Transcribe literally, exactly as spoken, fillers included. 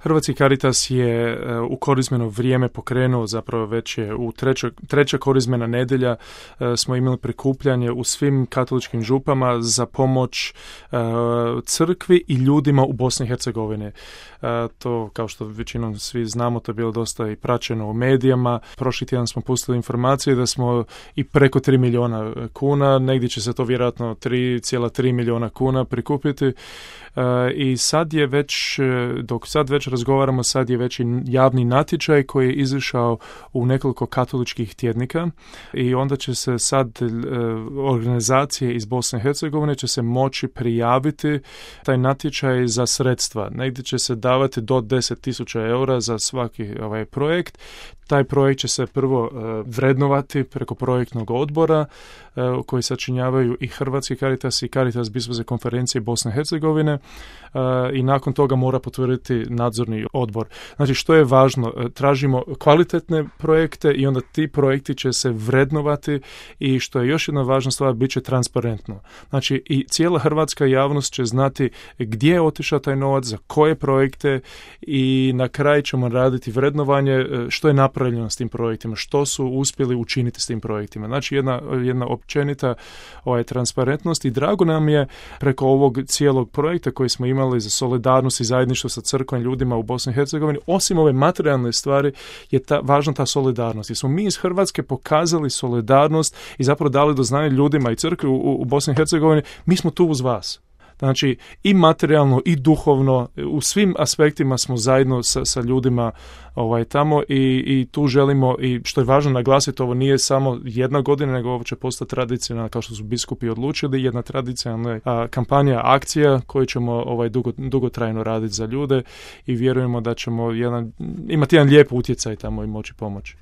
Hrvatski Caritas je u korizmeno vrijeme pokrenuo, zapravo već je u treća, treća korizmena nedjelja smo imali prikupljanje u svim katoličkim župama za pomoć crkvi i ljudima u Bosni i Hercegovini. To, kao što većinom svi znamo, to je bilo dosta i praćeno u medijama. Prošli tjedan smo pustili informacije da smo i preko tri milijuna kuna, negdje će se to vjerojatno tri zarez tri milijuna kuna prikupiti. I sad je već, dok sad već razgovaramo, sad je već i javni natječaj koji je izašao u nekoliko katoličkih tjednika i onda će se sad organizacije iz Bosne i Hercegovine će se moći prijaviti taj natječaj za sredstva. Negdje će se davati do deset tisuća eura za svaki ovaj projekt. Taj projekt će se prvo uh, vrednovati preko projektnog odbora uh, koji sačinjavaju i Hrvatski Caritas i Caritas Biskupske konferencije Bosne i Hercegovine uh, i nakon toga mora potvrditi nadzorni odbor. Znači, što je važno? Uh, tražimo kvalitetne projekte i onda ti projekti će se vrednovati i što je još jedna važna stvar, bit će transparentno. Znači, i cijela hrvatska javnost će znati gdje je otišao taj novac, za koje projekte i na kraju ćemo raditi vrednovanje uh, što je napravljeno s tim projektima, što su uspjeli učiniti s tim projektima. Znači jedna, jedna općenita ovaj, transparentnost i drago nam je preko ovog cijelog projekta koji smo imali za solidarnost i zajedništvo sa crkvom ljudima u Bosni i Hercegovini, osim ove materijalne stvari je ta, važna ta solidarnost. Jer smo mi iz Hrvatske pokazali solidarnost i zapravo dali do znanja ljudima i crkvi u, u Bosni i Hercegovini, mi smo tu uz vas. Znači, i materijalno i duhovno, u svim aspektima smo zajedno sa, sa ljudima ovaj, tamo i, i tu želimo, i što je važno naglasiti, ovo nije samo jedna godina, nego ovo će postati tradicionalna, kao što su biskupi odlučili, jedna tradicionalna a, kampanja, akcija koju ćemo ovaj, dugo, dugotrajno raditi za ljude i vjerujemo da ćemo jedan, imati jedan lijep utjecaj tamo i moći pomoći.